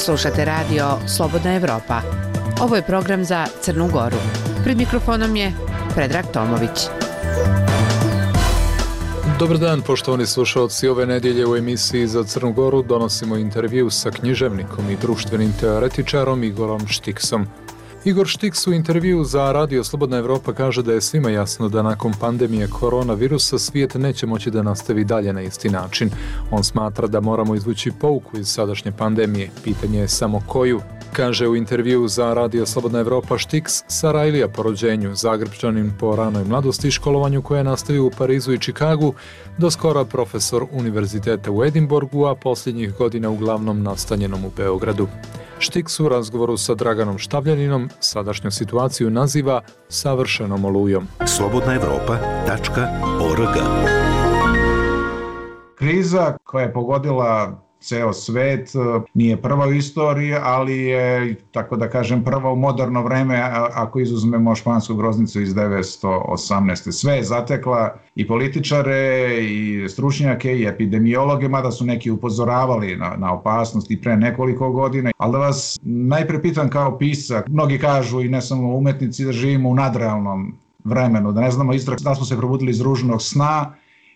Slušate radio Slobodna Evropa. Ovo je program za Crnu Goru. Pred mikrofonom je Predrag Tomović. Dobar dan, poštovani slušalci. Ove nedjelje u emisiji za Crnu Goru donosimo intervju sa književnikom i društvenim teoretičarom Igorom Štiksom. Igor Štiks u intervju za radio Slobodna Evropa kaže da je svima jasno da nakon pandemije koronavirusa svijet neće moći da nastavi dalje na isti način. On smatra da moramo izvući pouku iz sadašnje pandemije. Pitanje je samo koju. Kaže u intervju za radio Slobodna Evropa Štiks, Sarajlija po rođenju, Zagrebčanin po ranoj mladosti i školovanju koje je nastavio u Parizu i Čikagu, do skora profesor univerziteta u Edinburgu, a posljednjih godina uglavnom nastanjenom u Beogradu. Štiks u razgovoru sa Draganom Štavljaninom sadašnju situaciju naziva savršenom olujom. slobodnaevropa.org. Kriza koja je pogodila ceo svet nije prva u istoriji, ali je, tako da kažem, prva u moderno vreme, ako izuzmemo špansku groznicu iz 1918. Sve je zatekla i političare, i stručnjake, i epidemiologe, mada su neki upozoravali na opasnost i pre nekoliko godina. Ali da vas najpre pitam kao pisac, mnogi kažu i ne samo umetnici da živimo u nadrealnom vremenu, da ne znamo da smo se probudili iz ružnog sna,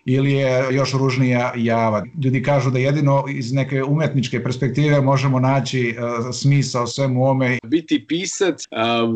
ili je još ružnija java. Ljudi kažu da jedino iz neke umetničke perspektive možemo naći smisao svemu ome. Biti pisac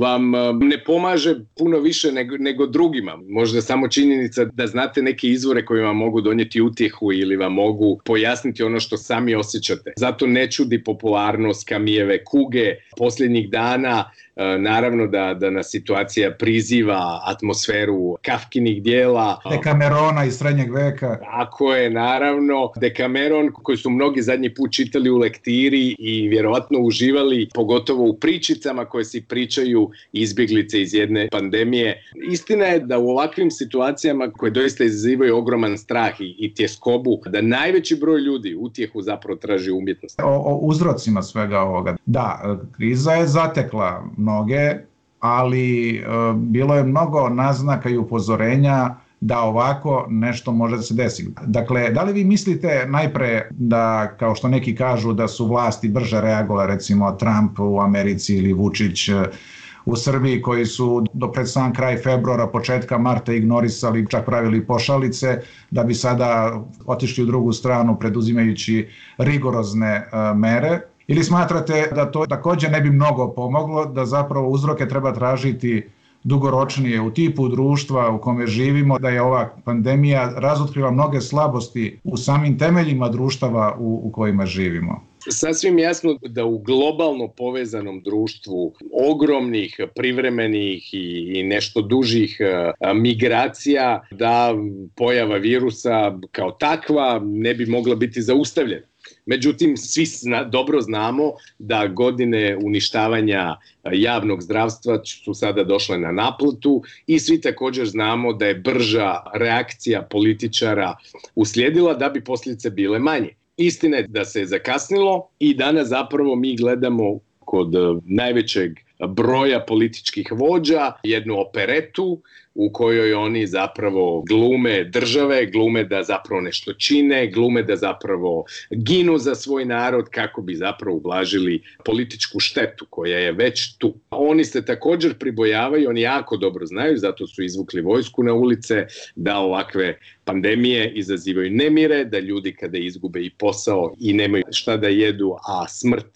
vam ne pomaže puno više nego drugima. Možda samo činjenica da znate neke izvore koji vam mogu donijeti utjehu ili vam mogu pojasniti ono što sami osjećate. Zato ne čudi popularnost Camilljeve kuge posljednjih dana. Naravno da nas situacija priziva atmosferu Kafkinih dijela. Dekamerona iz srednjeg veka. Tako je, naravno. Dekameron koji su mnogi zadnji put čitali u lektiri i vjerovatno uživali, pogotovo u pričicama koje si pričaju izbjeglice iz jedne pandemije. Istina je da u ovakvim situacijama koje doista izazivaju ogroman strah i tjeskobu, da najveći broj ljudi utjehu zapravo traži umjetnost. O uzrocima svega ovoga. Da, kriza je zatekla mnoge, ali bilo je mnogo naznaka i upozorenja da ovako nešto može da se desi. Dakle, da li vi mislite najpre da, kao što neki kažu, da su vlasti brže reagovale, recimo Trump u Americi ili Vučić u Srbiji, koji su do pred sam kraj februara, početka marta ignorisali, čak pravili pošalice, da bi sada otišli u drugu stranu preduzimajući rigorozne mere? Ili smatrate da to također ne bi mnogo pomoglo, da zapravo uzroke treba tražiti dugoročnije u tipu društva u kome živimo, da je ova pandemija razotkrila mnoge slabosti u samim temeljima društava u kojima živimo? Sasvim jasno da u globalno povezanom društvu ogromnih, privremenih i nešto dužih migracija, da pojava virusa kao takva ne bi mogla biti zaustavljena. Međutim, svi dobro znamo da godine uništavanja javnog zdravstva su sada došle na naplatu i svi također znamo da je brža reakcija političara uslijedila da bi posljedice bile manje. Istina je da se je zakasnilo i danas zapravo mi gledamo kod najvećeg broja političkih vođa jednu operetu u kojoj oni zapravo glume države, glume da zapravo nešto čine, glume da zapravo ginu za svoj narod kako bi zapravo ublažili političku štetu koja je već tu. Oni se također pribojavaju, oni jako dobro znaju, zato su izvukli vojsku na ulice, da ovakve pandemije izazivaju nemire, da ljudi kada izgube i posao i nemaju šta da jedu, a smrt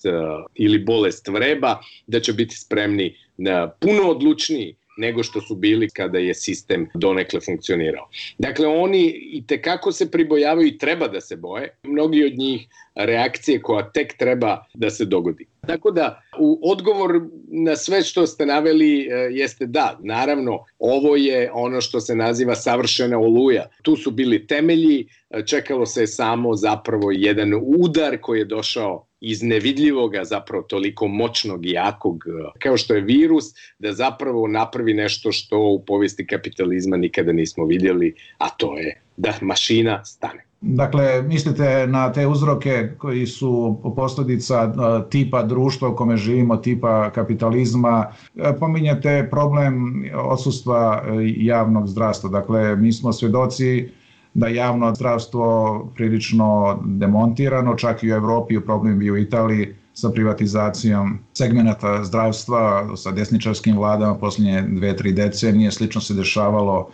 ili bolest vreba, da će biti spremni na puno odlučniji nego što su bili kada je sistem donekle funkcionirao. Dakle, oni itekako se pribojavaju i treba da se boje. Mnogi od njih reakcije koja tek treba da se dogodi. Tako da, u odgovor na sve što ste naveli jeste da, naravno, ovo je ono što se naziva savršena oluja. Tu su bili temelji, čekalo se samo zapravo jedan udar koji je došao iz nevidljivoga, zapravo toliko moćnog i jakog kao što je virus, da zapravo napravi nešto što u povijesti kapitalizma nikada nismo vidjeli, a to je da mašina stane. Dakle, mislite na te uzroke koji su posljedica tipa društva u kome živimo, tipa kapitalizma. Pominjete problem odsustva javnog zdravstva. Dakle, mi smo svjedoci da je javno zdravstvo prilično demontirano, čak i u Europi, u problem bio u Italiji, sa privatizacijom segmenata zdravstva, sa desničarskim vladama posljednje 2-3 decenije. Slično se dešavalo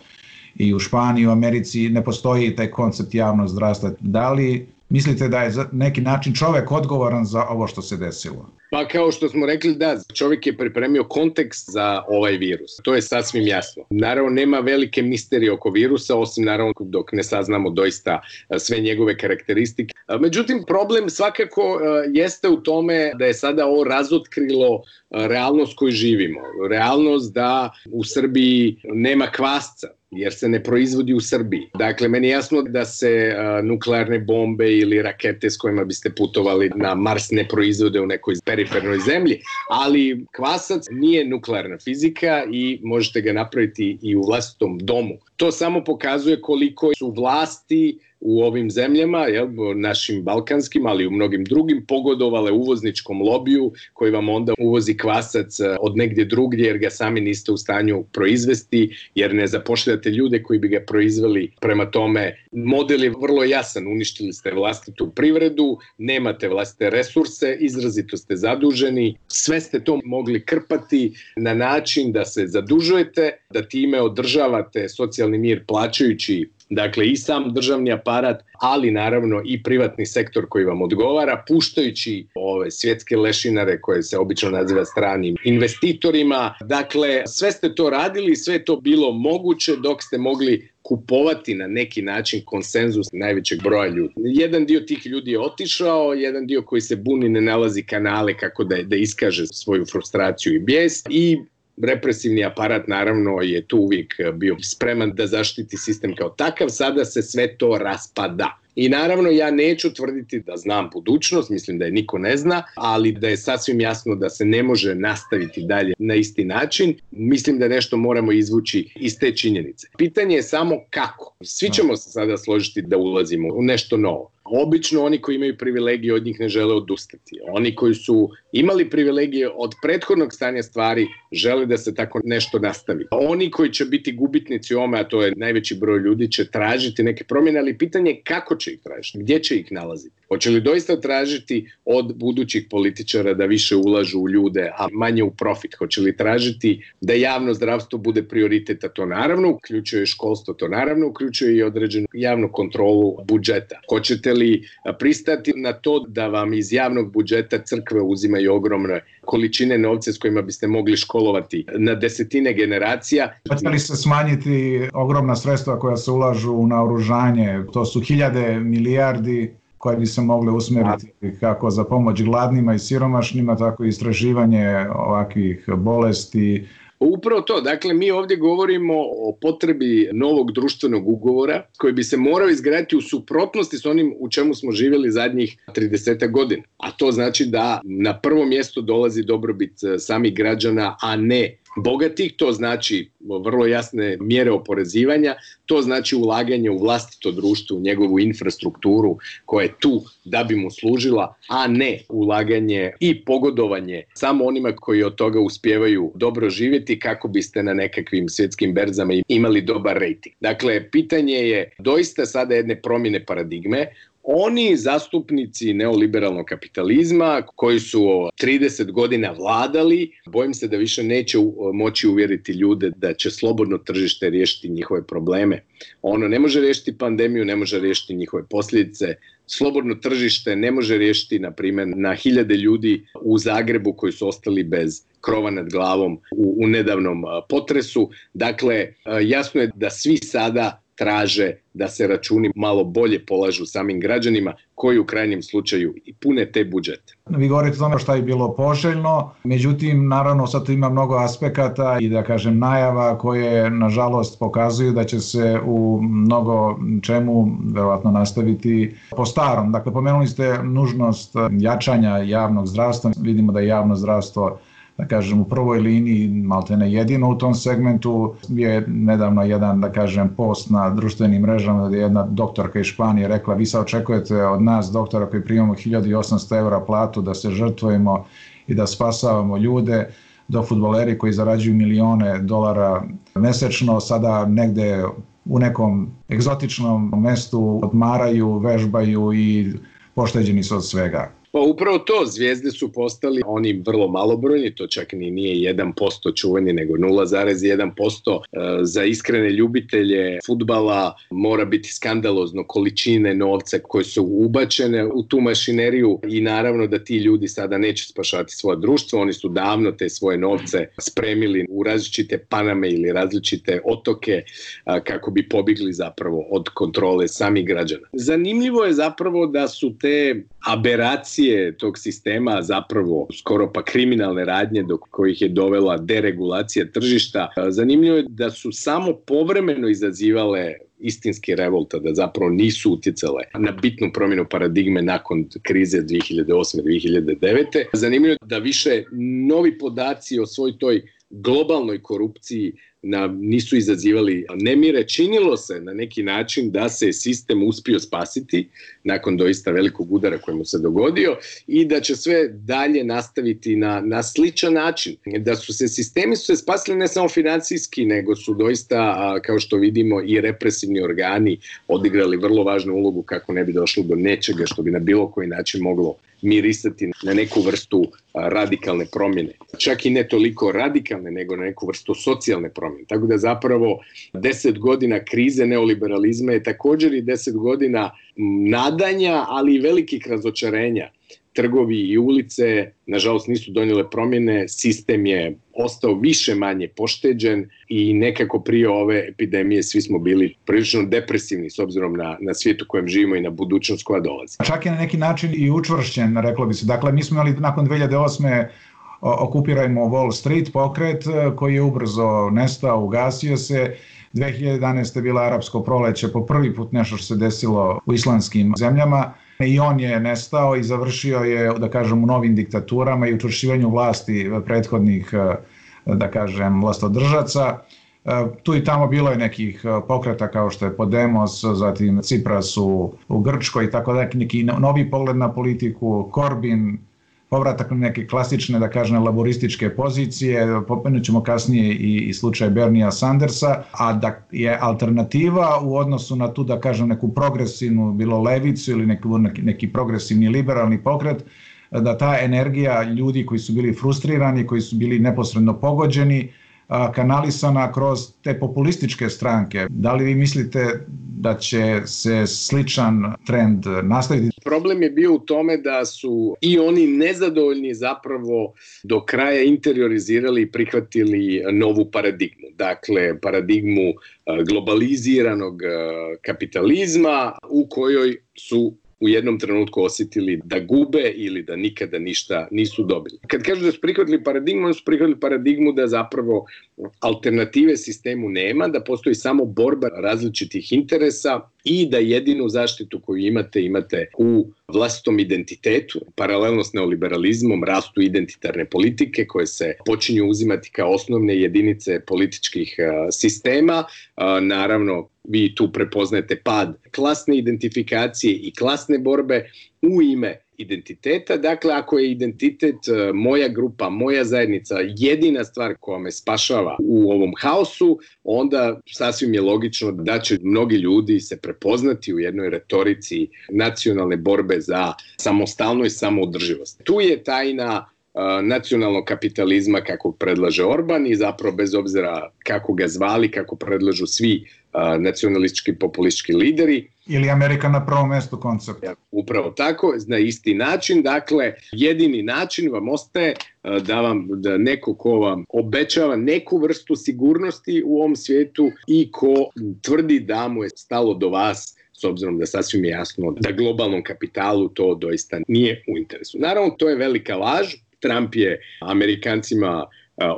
i u Španiji, u Americi. Ne postoji taj koncept javnog zdravstva. Da li mislite da je za neki način čovjek odgovoran za ovo što se desilo? Pa kao što smo rekli, da, čovjek je pripremio kontekst za ovaj virus. To je sasvim jasno. Naravno, nema velike misterije oko virusa, osim naravno dok ne saznamo doista sve njegove karakteristike. Međutim, problem svakako jeste u tome da je sada ovo razotkrilo realnost koju živimo. Realnost da u Srbiji nema kvasca, jer se ne proizvodi u Srbiji. Dakle, meni je jasno da se nuklearne bombe ili rakete s kojima biste putovali na Mars ne proizvode u nekoj perifernoj zemlji, ali kvasac nije nuklearna fizika i možete ga napraviti i u vlastitom domu. To samo pokazuje koliko su vlasti u ovim zemljama, našim balkanskim, ali i u mnogim drugim, pogodovale uvozničkom lobiju koji vam onda uvozi kvasac od negdje drugdje jer ga sami niste u stanju proizvesti, jer ne zapošljavate ljude koji bi ga proizveli. Prema tome, model je vrlo jasan, uništili ste vlastitu privredu, nemate vlastite resurse, izrazito ste zaduženi, sve ste to mogli krpati na način da se zadužujete, da time održavate socijalni mir plaćajući dakle i sam državni aparat, ali naravno i privatni sektor koji vam odgovara, puštajući ove svjetske lešinare koje se obično naziva stranim investitorima. Dakle, sve ste to radili, sve je to bilo moguće dok ste mogli kupovati na neki način konsenzus najvećeg broja ljudi. Jedan dio tih ljudi je otišao, jedan dio koji se buni ne nalazi kanale kako da iskaže svoju frustraciju i bijes i represivni aparat naravno je tu uvijek bio spreman da zaštiti sistem kao takav, sada se sve to raspada. I naravno ja neću tvrditi da znam budućnost, mislim da je niko ne zna, ali da je sasvim jasno da se ne može nastaviti dalje na isti način. Mislim da nešto moramo izvući iz te činjenice. Pitanje je samo kako. Svi ćemo se sada složiti da ulazimo u nešto novo. Obično oni koji imaju privilegije od njih ne žele odustati. Oni koji su imali privilegije od prethodnog stanja stvari žele da se tako nešto nastavi. Oni koji će biti gubitnici ome, a to je najveći broj ljudi, će tražiti neke promjene, ali pitanje je kako će ih tražiti, gdje će ih nalaziti. Hoće li doista tražiti od budućih političara da više ulažu u ljude, a manje u profit? Hoće li tražiti da javno zdravstvo bude prioritet, a to naravno uključuje školstvo, to naravno uključuje i određenu javnu kontrolu budžeta? Hoćete li pristati na to da vam iz javnog budžeta crkve uzimaju ogromne količine novca s kojima biste mogli školovati na desetine generacija? Hoće li se smanjiti ogromna sredstva koja se ulažu u naoružanje? To su hiljade milijardi koje bi se mogle usmjeriti kako za pomoć gladnima i siromašnima, tako i istraživanje ovakvih bolesti. Upravo to, dakle mi ovdje govorimo o potrebi novog društvenog ugovora koji bi se morao izgraditi u suprotnosti s onim u čemu smo živjeli zadnjih 30 godina. A to znači da na prvo mjesto dolazi dobrobit samih građana, a ne bogatih. To znači vrlo jasne mjere oporezivanja, to znači ulaganje u vlastito društvo, u njegovu infrastrukturu koja je tu da bi mu služila, a ne ulaganje i pogodovanje samo onima koji od toga uspijevaju dobro živjeti kako biste na nekakvim svjetskim berzama imali dobar rejting. Dakle, pitanje je doista sada jedne promjene paradigme. Oni zastupnici neoliberalnog kapitalizma koji su 30 godina vladali, bojim se da više neće moći uvjeriti ljude da će slobodno tržište riješiti njihove probleme. Ono ne može riješiti pandemiju, ne može riješiti njihove posljedice. Slobodno tržište ne može riješiti, na primjer, na hiljade ljudi u Zagrebu koji su ostali bez krova nad glavom u nedavnom potresu. Dakle, jasno je da svi sada traže da se računi malo bolje polažu samim građanima koji u krajnjem slučaju i pune te budžete. Vi govorite o tome što je bilo poželjno, međutim, naravno sad ima mnogo aspekata i da kažem najava koje nažalost pokazuju da će se u mnogo čemu verovatno nastaviti po starom. Dakle, pomenuli ste nužnost jačanja javnog zdravstva. Vidimo da je javno zdravstvo, da kažem, u prvoj liniji, maltene jedino u tom segmentu. Je nedavno jedan, da kažem, post na društvenim mrežama gdje je jedna doktorka iz Španije rekla: vi sad očekujete od nas, doktora koji primamo 1800 eura platu, da se žrtvujemo i da spasavamo ljude, dok fudbaleri koji zarađuju milione dolara mjesečno sada negde u nekom egzotičnom mestu odmaraju, vežbaju i pošteđeni su od svega. Pa upravo to, zvijezde su postali oni vrlo malobrojni, to čak nije 1% čuveni, nego 0,1%. Za iskrene ljubitelje fudbala mora biti skandalozno količine novca koje su ubačene u tu mašineriju i naravno da ti ljudi sada neće spašavati svoje društvo, oni su davno te svoje novce spremili u različite Paname ili različite otoke kako bi pobjegli zapravo od kontrole samih građana. Zanimljivo je zapravo da su te aberacije tog sistema zapravo skoro pa kriminalne radnje do kojih je dovela deregulacija tržišta. Zanimljivo je da su samo povremeno izazivale istinski revolta, da zapravo nisu utjecale na bitnu promjenu paradigme nakon krize 2008-2009. Zanimljivo je da više novi podaci o svoj toj globalnoj korupciji nisu izazivali nemire. Činilo se na neki način da se sistem uspio spasiti nakon doista velikog udara koji mu se dogodio i da će sve dalje nastaviti na sličan način. Da su se sistemi spasili ne samo financijski, nego su doista, kao što vidimo, i represivni organi odigrali vrlo važnu ulogu kako ne bi došlo do nečega što bi na bilo koji način moglo mirisati na neku vrstu radikalne promjene. Čak i ne toliko radikalne, nego na neku vrstu socijalne promjene. Tako da zapravo 10 godina krize neoliberalizma je također i 10 godina nadanja, ali i velikih razočarenja. Trgovi i ulice, nažalost, nisu donijele promjene, sistem je ostao više manje pošteđen i nekako prije ove epidemije svi smo bili prilično depresivni s obzirom na svijet u kojem živimo i na budućnost koja dolazi. Čak je na neki način i učvršćen, reklo bi se. Dakle, mi smo imali nakon 2008. Okupirajmo Wall Street pokret koji je ubrzo nestao, ugasio se. 2011. je bila arapsko proleće, po prvi put nešto što se desilo u islamskim zemljama. I on je nestao i završio je, da kažem, u novim diktaturama i učvršćivanju vlasti prethodnih, da kažem, vlastodržaca. Tu i tamo bilo je nekih pokreta kao što je Podemos, zatim Tsipras u Grčkoj i tako da, neki novi pogled na politiku, Corbyn, povratak na neke klasične, da kažem, laborističke pozicije, pomenut ćemo kasnije i slučaj Berniea Sandersa, a da je alternativa u odnosu na tu, da kažem, neku progresivnu, bilo levicu ili neki progresivni liberalni pokret, da ta energija ljudi koji su bili frustrirani, koji su bili neposredno pogođeni, kanalisana kroz te populističke stranke. Da li vi mislite da će se sličan trend nastaviti? Problem je bio u tome da su i oni nezadovoljni zapravo do kraja interiorizirali i prihvatili novu paradigmu. Dakle, paradigmu globaliziranog kapitalizma u kojoj su u jednom trenutku osjetili da gube ili da nikada ništa nisu dobili. Kad kažu da su prihvatili paradigmu, oni su prihvatili paradigmu da zapravo alternative sistemu nema, da postoji samo borba različitih interesa i da jedinu zaštitu koju imate u vlastitom identitetu. Paralelno s neoliberalizmom rastu identitarne politike koje se počinju uzimati kao osnovne jedinice političkih sistema. Naravno, vi tu prepoznajete pad klasne identifikacije i klasne borbe u ime identiteta. Dakle, ako je identitet moja grupa, moja zajednica jedina stvar koja me spašava u ovom haosu, onda sasvim je logično da će mnogi ljudi se prepoznati u jednoj retorici nacionalne borbe za samostalno i samoodrživost. Tu je tajna nacionalnog kapitalizma kako predlaže Orban i zapravo bez obzira kako ga zvali, kako predlažu svi nacionalistički populistički lideri. Ili Amerika na prvom mjestu koncept. Upravo tako, na isti način. Dakle, jedini način vam ostaje da neko ko vam obećava neku vrstu sigurnosti u ovom svijetu i ko tvrdi da mu je stalo do vas, s obzirom da sasvim je jasno da globalnom kapitalu to doista nije u interesu. Naravno, to je velika laž. Trump je Amerikancima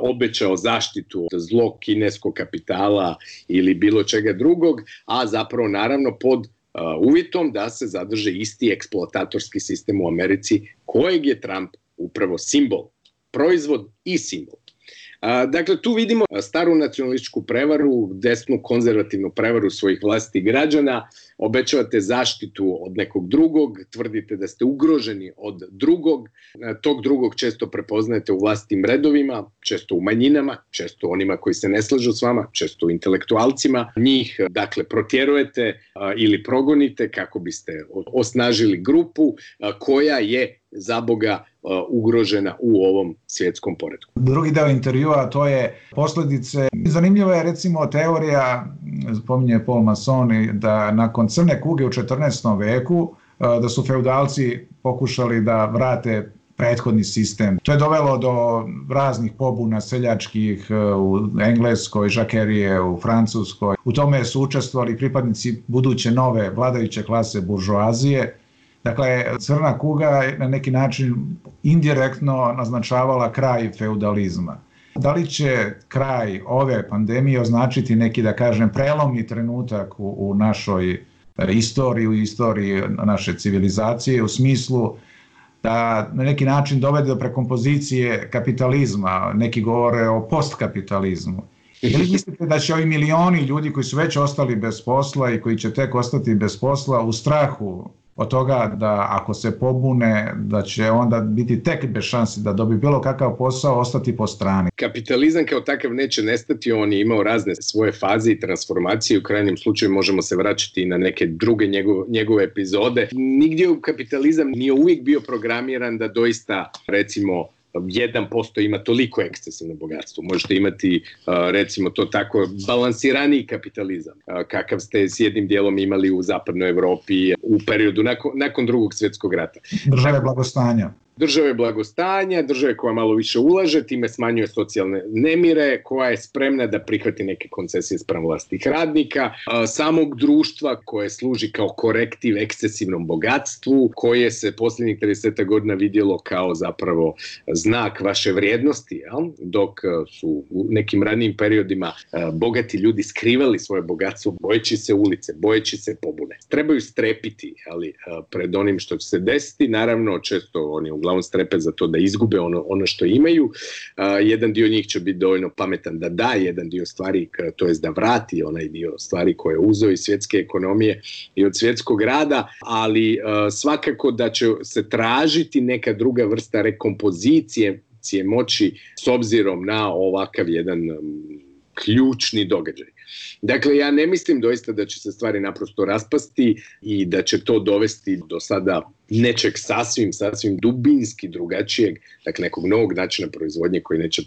obećao zaštitu od zlog kineskog kapitala ili bilo čega drugog, a zapravo naravno pod uvjetom da se zadrže isti eksploatatorski sistem u Americi kojeg je Trump upravo simbol, proizvod i simbol. Dakle, tu vidimo staru nacionalističku prevaru, desnu konzervativnu prevaru svojih vlastitih građana, obećavate zaštitu od nekog drugog, tvrdite da ste ugroženi od drugog, tog drugog često prepoznajete u vlastitim redovima, često u manjinama, često onima koji se ne slažu s vama, često u intelektualcima. Njih, dakle, protjerujete ili progonite kako biste osnažili grupu koja je za Boga ugrožena u ovom svjetskom poretku. Drugi deo intervjua, to je posljedice. Zanimljiva je recimo teorija, spominje Paul Masson, da nakon crne kuge u 14. veku da su feudalci pokušali da vrate prethodni sistem. To je dovelo do raznih pobuna seljačkih u Engleskoj, žakerije u Francuskoj. U tome su učestvovali pripadnici buduće nove vladajuće klase buržoazije. Dakle, crna kuga je na neki način indirektno naznačavala kraj feudalizma. Da li će kraj ove pandemije označiti neki, da kažem, prelomni trenutak u našoj istoriji, u istoriji naše civilizacije, u smislu da na neki način dovede do prekompozicije kapitalizma, neki govore o postkapitalizmu. Ili mislite da će ovi milioni ljudi koji su već ostali bez posla i koji će tek ostati bez posla u strahu od toga da ako se pobune da će onda biti tek bez šansi da dobije bilo kakav posao, ostati po strani? Kapitalizam kao takav neće nestati, on je imao razne svoje faze i transformacije, u krajnjem slučaju možemo se vraćati na neke druge njegove epizode. Nigdje u kapitalizam nije uvijek bio programiran da doista, recimo, 1% ima toliko ekscesivno bogatstvo. Možete imati, recimo to tako, balansiraniji kapitalizam, kakav ste s jednim dijelom imali u zapadnoj Evropi u periodu nakon drugog svjetskog rata. Države blagostanja. Države blagostanja, države koja malo više ulaže, time smanjuje socijalne nemire, koja je spremna da prihvati neke koncesije spram vlastitih radnika, samog društva koje služi kao korektiv ekscesivnom bogatstvu, koje se posljednjih 30 godina vidjelo kao zapravo znak vaše vrijednosti, dok su u nekim ranijim periodima bogati ljudi skrivali svoje bogatstvo bojeći se ulice, bojeći se pobune. Trebaju strepiti, ali pred onim što će se desiti, naravno često oni uglavnom strepe za to da izgube ono što imaju. Jedan dio njih će biti dovoljno pametan da da jedan dio stvari, to jest da vrati onaj dio stvari koje je uzeo iz svjetske ekonomije i od svjetskog rada, ali svakako da će se tražiti neka druga vrsta rekompozicije moći s obzirom na ovakav jedan ključni događaj. Dakle, ja ne mislim doista da će se stvari naprosto raspasti i da će to dovesti do sada nečeg sasvim dubinski drugačijeg, dakle nekog novog načina proizvodnje koji neće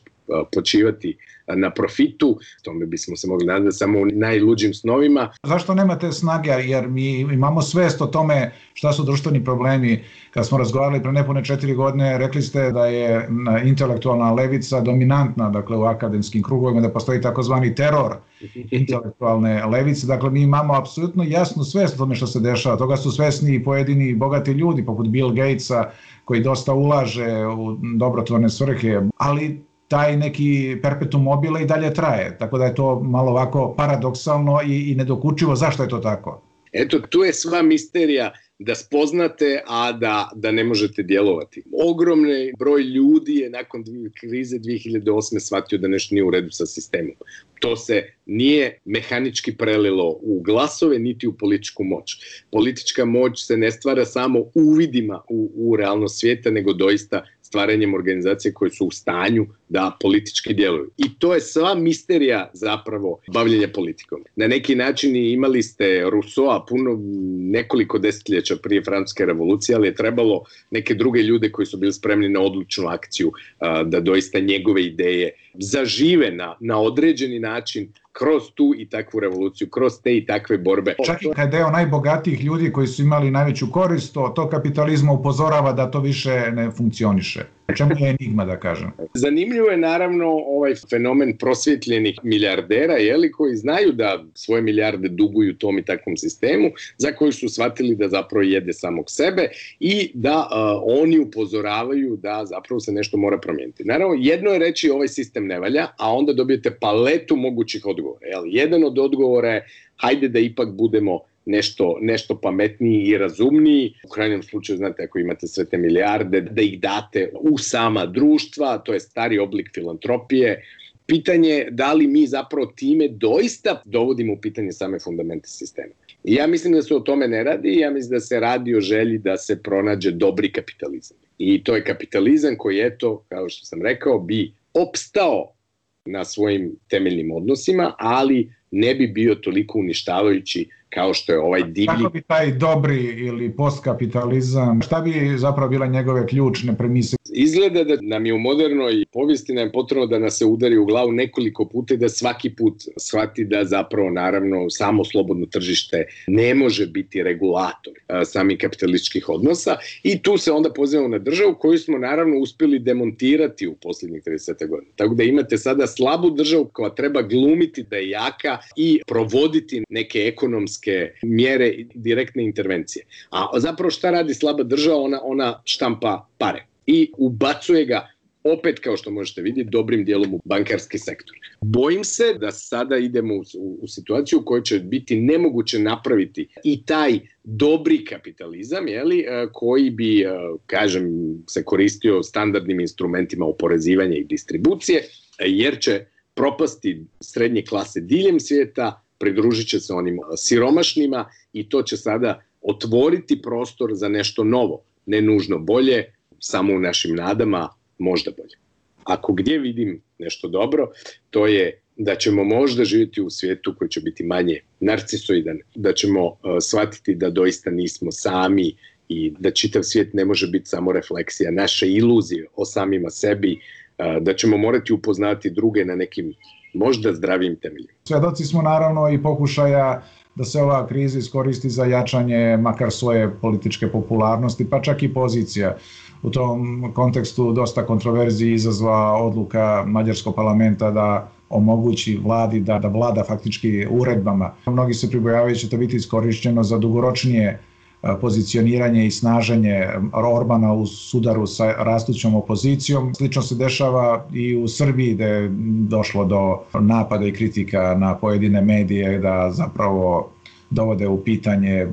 počivati na profitu. Tome bismo se mogli nadati samo u najluđim snovima. Zašto nemate snage? Jer mi imamo svest o tome šta su društveni problemi. Kad smo razgovarali pre nepune 4 godine, rekli ste da je intelektualna levica dominantna, dakle u akademskim krugovima, da postoji takozvani teror intelektualne levice. Dakle, mi imamo apsolutno jasnu svest o tome što se dešava. Toga su svesni i pojedini bogati ljudi, poput Bill Gatesa, koji dosta ulaže u dobrotvorne svrhe, ali taj neki perpetuum mobile i dalje traje. Tako da je to malo ovako paradoksalno i nedokučivo. Zašto je to tako? Eto, tu je sva misterija da spoznate, a da ne možete djelovati. Ogromni broj ljudi je nakon krize 2008. shvatio da nešto nije u redu sa sistemom. To se nije mehanički prelilo u glasove niti u političku moć. Politička moć se ne stvara samo uvidima u realnost svijeta, nego doista stvaranjem organizacije koje su u stanju da politički djeluju. I to je sva misterija zapravo bavljenja politikom. Na neki način imali ste Rousseau nekoliko desetljeća prije Francuske revolucije, ali je trebalo neke druge ljude koji su bili spremni na odlučnu akciju da doista njegove ideje zažive na određeni način kroz tu i takvu revoluciju, kroz te i takve borbe. Čak i kad deo najbogatijih ljudi koji su imali najveću korist, to kapitalizma upozorava da to više ne funkcioniše. Čemu je enigma, da kažem? Zanimljivo je naravno ovaj fenomen prosvjetljenih milijardera, koji znaju da svoje milijarde duguju tom i takvom sistemu, za koji su shvatili da zapravo jede samog sebe i da oni upozoravaju da zapravo se nešto mora promijeniti. Naravno, jedno je reći ovaj sistem ne valja, a onda dobijete paletu mogućih odgovora. Jedan od odgovora je hajde da ipak budemo nešto pametniji i razumniji. U krajnjem slučaju, znate, ako imate sve te milijarde, da ih date u sama društva, to je stari oblik filantropije. Pitanje je da li mi zapravo time doista dovodimo u pitanje same fundamente sistema. I ja mislim da se o tome ne radi, ja mislim da se radi o želji da se pronađe dobri kapitalizam. I to je kapitalizam koji, eto, kao što sam rekao, bi opstao na svojim temeljnim odnosima, ali ne bi bio toliko uništavajući kao što je ovaj divlji... Kako bi taj dobri ili postkapitalizam, šta bi zapravo bile njegove ključne premise? Izgleda da nam je u modernoj povijesti nam je potrebno da nas se udari u glavu nekoliko puta i da svaki put shvati da zapravo naravno samo slobodno tržište ne može biti regulator samih kapitalističkih odnosa i tu se onda pozivamo na državu koju smo naravno uspjeli demontirati u posljednjih 30 godina. Tako da imate sada slabu državu koja treba glumiti da je jaka i provoditi neke ekonomske mjere i direktne intervencije. A zapravo šta radi slaba država? Ona štampa pare i ubacuje ga opet, kao što možete vidjeti, dobrim dijelom u bankarski sektor. Bojim se da sada idemo u situaciju u kojoj će biti nemoguće napraviti i taj dobri kapitalizam, koji bi, se koristio standardnim instrumentima oporezivanja i distribucije, jer će propasti srednje klase diljem svijeta, pridružit će se onim siromašnima i to će sada otvoriti prostor za nešto novo, ne nužno bolje, samo u našim nadama, možda bolje. Ako gdje vidim nešto dobro, to je da ćemo možda živjeti u svijetu koji će biti manje narcisoidan, da ćemo shvatiti da doista nismo sami i da čitav svijet ne može biti samo refleksija naše iluzije o samima sebi, da ćemo morati upoznati druge na nekim možda zdravim temeljima. Svjedoci smo naravno i pokušaja da se ova kriza iskoristi za jačanje makar svoje političke popularnosti, pa čak i pozicija. U tom kontekstu dosta kontroverziji izazva odluka mađarskog parlamenta da omogući vladi da vlada faktički uredbama. Mnogi se pribojavaju da će to biti iskorišteno za dugoročnije pozicioniranje i snaženje Orbana u sudaru sa rastućom opozicijom. Slično se dešava i u Srbiji, gde je došlo do napada i kritika na pojedine medije da zapravo dovode u pitanje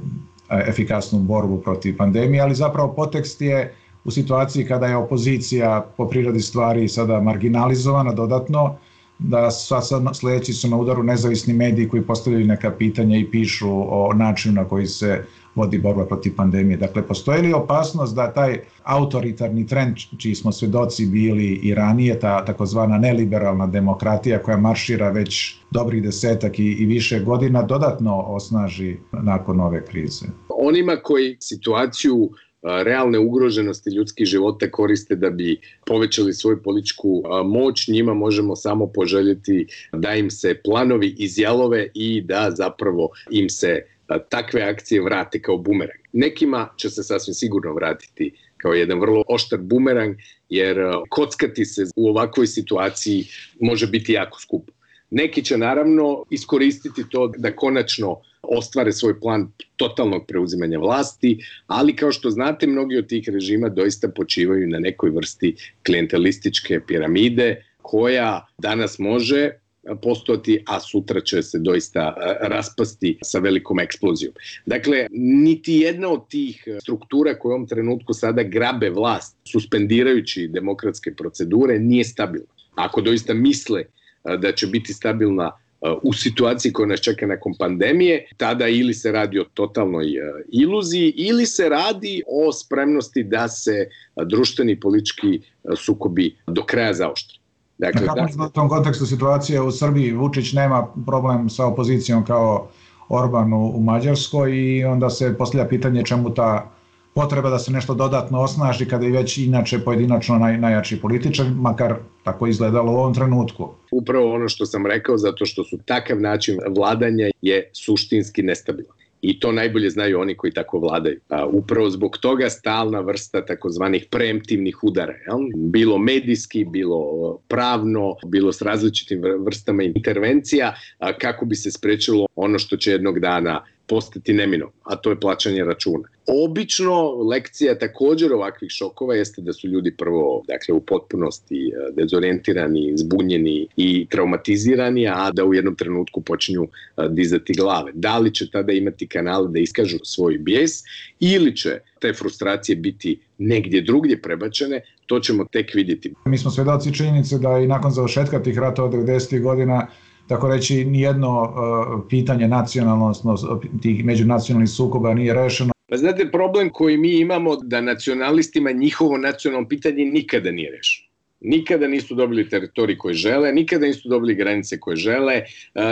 efikasnu borbu protiv pandemije, ali zapravo potekst je u situaciji kada je opozicija po prirodi stvari sada marginalizovana dodatno, da sljedeći su na udaru nezavisni mediji koji postavljaju neka pitanja i pišu o načinu na koji se vodi borba protiv pandemije. Dakle, postoji li opasnost da taj autoritarni trend, čiji smo svjedoci bili i ranije, ta takozvana neliberalna demokratija koja maršira već dobrih 10 i više godina, dodatno osnaži nakon ove krize? Onima koji situaciju realne ugroženosti ljudskih života koriste da bi povećali svoju političku moć, njima možemo samo poželjeti da im se planovi izjalove i da zapravo im se takve akcije vrate kao bumerang. Nekima će se sasvim sigurno vratiti kao jedan vrlo oštar bumerang, jer kockati se u ovakvoj situaciji može biti jako skupo. Neki će naravno iskoristiti to da konačno ostvare svoj plan totalnog preuzimanja vlasti, ali kao što znate, mnogi od tih režima doista počivaju na nekoj vrsti klijentelističke piramide koja danas može postojati, a sutra će se doista raspasti sa velikom eksplozijom. Dakle, niti jedna od tih struktura koje u ovom trenutku sada grabe vlast, suspendirajući demokratske procedure, nije stabilna. Ako doista misle da će biti stabilna u situaciji koja nas čeka nakon pandemije, tada ili se radi o totalnoj iluziji ili se radi o spremnosti da se društveni i politički sukobi do kraja zaoštre. Dakle, u tom kontekstu situacije u Srbiji Vučić nema problem sa opozicijom kao Orban u Mađarskoj i onda se postavlja pitanje čemu ta potreba da se nešto dodatno osnaži kada je već inače pojedinačno najjači političar, makar tako izgledalo u ovom trenutku. Upravo ono što sam rekao, zato što su takav način vladanja je suštinski nestabilan. I to najbolje znaju oni koji tako vladaju. Upravo zbog toga stalna vrsta takozvanih preemptivnih udara. Bilo medijski, bilo pravno, bilo s različitim vrstama intervencija, kako bi se sprečilo ono što će jednog dana postati neminovno, a to je plaćanje računa. Obično lekcija također ovakvih šokova jeste da su ljudi prvo, dakle, u potpunosti dezorijentirani, zbunjeni i traumatizirani, a da u jednom trenutku počinju dizati glave. Da li će tada imati kanale da iskažu svoj bijes ili će te frustracije biti negdje drugdje prebačene, to ćemo tek vidjeti. Mi smo svjedoci činjenice da i nakon završetka tih ratova 90. godina, tako reći, nijedno pitanje nacionalno, odnosno tih međunacionalnih sukoba nije rešeno. Pa znate, problem koji mi imamo da nacionalistima njihovo nacionalno pitanje nikada nije rešeno. nikada nisu dobili teritorij koji žele, nikada nisu dobili granice koje žele,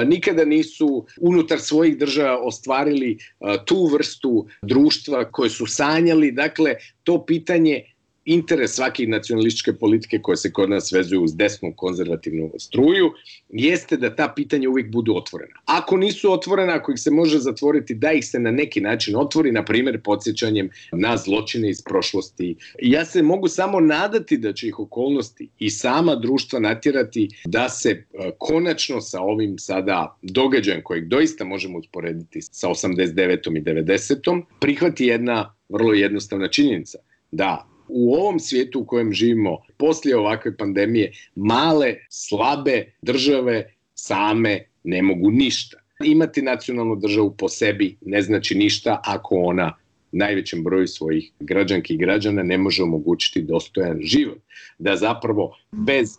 nikada nisu unutar svojih država ostvarili tu vrstu društva koje su sanjali. Dakle, to pitanje, interes svake nacionalističke politike koje se kod nas vezuju uz desnu konzervativnu struju, jeste da ta pitanja uvijek budu otvorena. Ako nisu otvorena, ako ih se može zatvoriti, da ih se na neki način otvori, na primjer podsjećanjem na zločine iz prošlosti. Ja se mogu samo nadati da će ih okolnosti i sama društva natjerati da se konačno sa ovim sada događajem kojeg doista možemo usporediti sa 89. i 90. prihvati jedna vrlo jednostavna činjenica, da u ovom svijetu u kojem živimo, poslije ovakve pandemije, male, slabe države same ne mogu ništa. Imati nacionalnu državu po sebi ne znači ništa ako ona najvećem broju svojih građanki i građana ne može omogućiti dostojan život. Da zapravo bez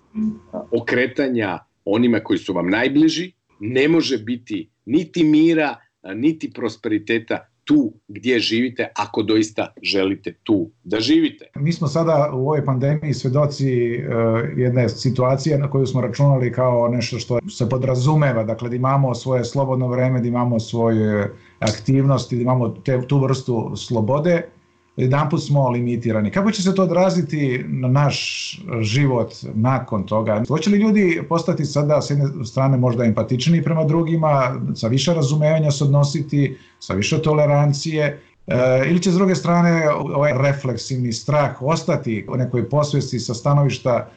okretanja onima koji su vam najbliži ne može biti niti mira, niti prosperiteta tu gdje živite, ako doista želite tu da živite. Mi smo sada u ovoj pandemiji svjedoci jedne situacije na koju smo računali kao nešto što se podrazumeva, dakle da imamo svoje slobodno vreme, da imamo svoje aktivnosti, da imamo tu vrstu slobode, jedanput smo limitirani. Kako će se to odraziti na naš život nakon toga? Hoće li ljudi postati sada s jedne strane možda empatičniji prema drugima, sa više razumevanja se odnositi, sa više tolerancije, ili će s druge strane ovaj refleksivni strah ostati u nekoj posvijesti sa stanovišta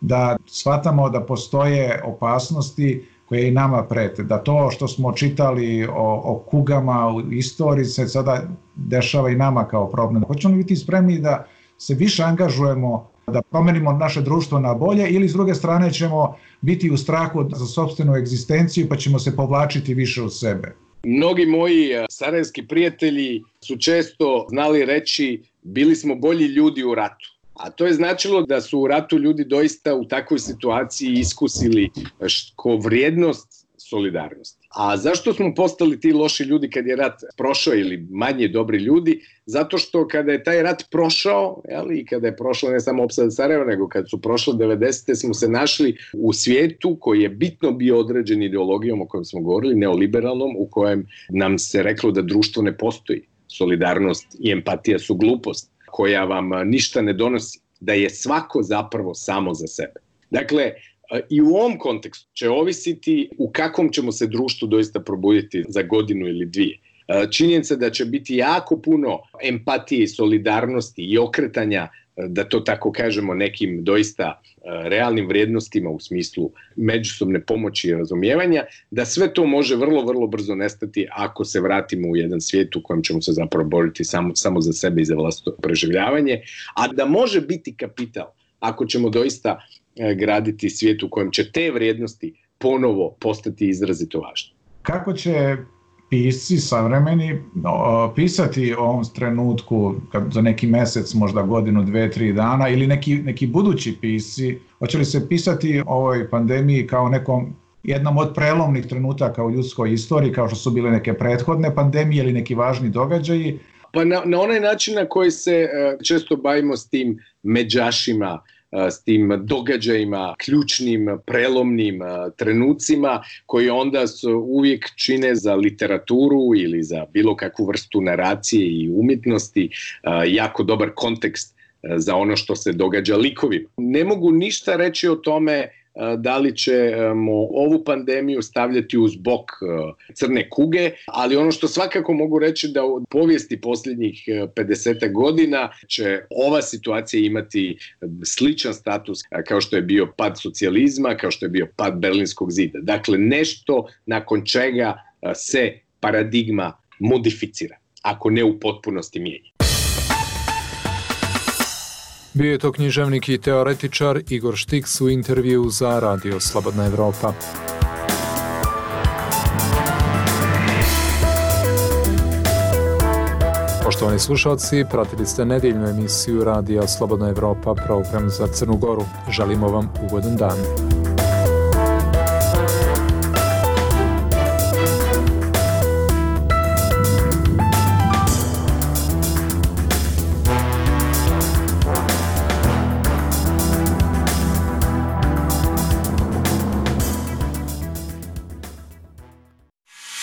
da shvatamo da postoje opasnosti koje i nama prete, da to što smo čitali o kugama u istoriji se sada dešava i nama kao problem. Hoćemo li biti spremni da se više angažujemo, da promenimo naše društvo na bolje, ili s druge strane ćemo biti u strahu za sopstvenu egzistenciju pa ćemo se povlačiti više u sebe? Mnogi moji sarajevski prijatelji su često znali reći bili smo bolji ljudi u ratu. A to je značilo da su u ratu ljudi doista u takvoj situaciji iskusili ko vrijednost solidarnosti. A zašto smo postali ti loši ljudi kad je rat prošao ili manje dobri ljudi? Zato što kada je taj rat prošao, i kada je prošlo ne samo opsada Sarajeva, nego kad su prošle 90. smo se našli u svijetu koji je bitno bio određen ideologijom o kojem smo govorili, neoliberalnom, u kojem nam se reklo da društvo ne postoji. Solidarnost i empatija su glupost koja vam ništa ne donosi, da je svako zapravo samo za sebe. Dakle, i u ovom kontekstu će ovisiti u kakvom ćemo se društvu doista probuditi za godinu ili dvije. Činjenica da će biti jako puno empatije i solidarnosti i okretanja, da to tako kažemo, nekim doista realnim vrijednostima u smislu međusobne pomoći i razumijevanja, da sve to može vrlo, vrlo brzo nestati ako se vratimo u jedan svijet u kojem ćemo se zapravo boriti samo za sebe i za vlastito preživljavanje, a da može biti kapital ako ćemo doista graditi svijet u kojem će te vrijednosti ponovo postati izrazito važne. Kako će pisci savremeni pisati o ovom trenutku za neki mjesec, možda godinu, 2-3 dana, ili neki budući pisci, hoće li se pisati o ovoj pandemiji kao jednom od prelomnih trenutaka u ljudskoj istoriji, kao što su bile neke prethodne pandemije ili neki važni događaji? Pa na onaj način na koji se često bavimo s tim međašima, s tim događajima, ključnim, prelomnim trenucima koji onda uvijek čine za literaturu ili za bilo kakvu vrstu naracije i umjetnosti jako dobar kontekst za ono što se događa likovima. Ne mogu ništa reći o tome da li ćemo ovu pandemiju stavljati uz bok crne kuge, ali ono što svakako mogu reći da u povijesti posljednjih 50 godina će ova situacija imati sličan status kao što je bio pad socijalizma, kao što je bio pad Berlinskog zida. Dakle, nešto nakon čega se paradigma modificira, ako ne u potpunosti mijenja. Bio je to književnik i teoretičar Igor Štiks u intervju za Radio Slobodna Evropa. Poštovani slušalci, pratili ste nedjeljnu emisiju Radija Slobodna Evropa, program za Crnu Goru. Želimo vam ugodan dan.